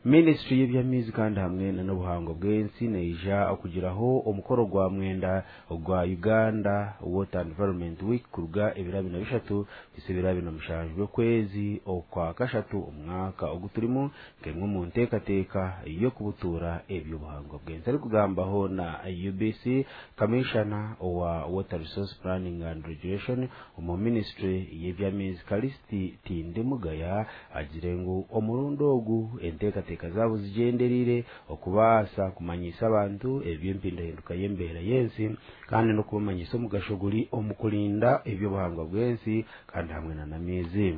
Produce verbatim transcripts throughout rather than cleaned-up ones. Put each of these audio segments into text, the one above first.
Ministry y'eby'amaizi kandi hamwe n'obuhango bw'ensi neija okugiraho omukoro gwa mwenda ogwa Uganda Water Environment Week kuruga ebiro abiri na bishatu kuhisa ebiro abiri na mushanju by'okwezi okwa kashatu omwaka ogu turimu, nk'emwe omu nteekateeka y'okubutuura eby'obuhango bw'ensi. Arikugambaho na U B C, Commissioner owa Water Resource Planning and Regulation omu Ministry y'eby'amaizi, Kalisiti Tindimugaya, agire ngu omurundi ogu enteekateeka zaabo zigyendereire okubaasa kumanyisa abantu eby'empindahinduka y'embeera y'ensi kandi n'okubamanyisa omugasho guri omu kurinda eby'obuhangwa bw'ensi kandi hamwe n'amaizi.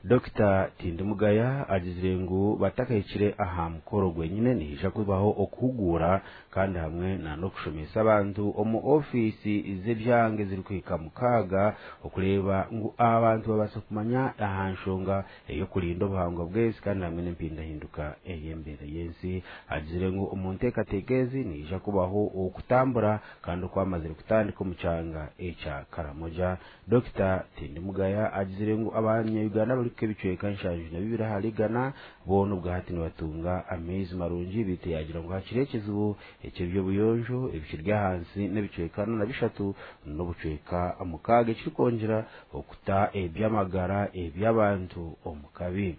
Dokita Tindimugaya agizire ngu batakahikire aha mukoro gwenyine, nihaija kubaho okuhuguura kandi hamwe n'okushomesa abantu omu ofiisi z'ebyanga ezirikuhika mukaaga, okureeba ngu abantu babaasa kumanya aha nshonga ey'okurinda obuhangwa bw'ensi kandi hamwe n'empindahinduka ey'embeera y'ensi. Agizire ngu omu nteekateeka ezi nihaija kubaho okutambura kandi okwamazire kutandika omu kyanga ekya Karamoja. Dokita Tindimugaya agizire ngu abanya-Uganda barikuhika ebicweka nshanju na bibiri ahari igana boona obwahati nibatunga amaizi marungi, beitu yagira ngu hakiri ekizibu eky'eby'obuyonjo ebikiri ahansi n'ebicweka ana na bishatu n'obucweka mukaaga, ekirikwongyera okuta eby'amagara eby'abantu omu kabi.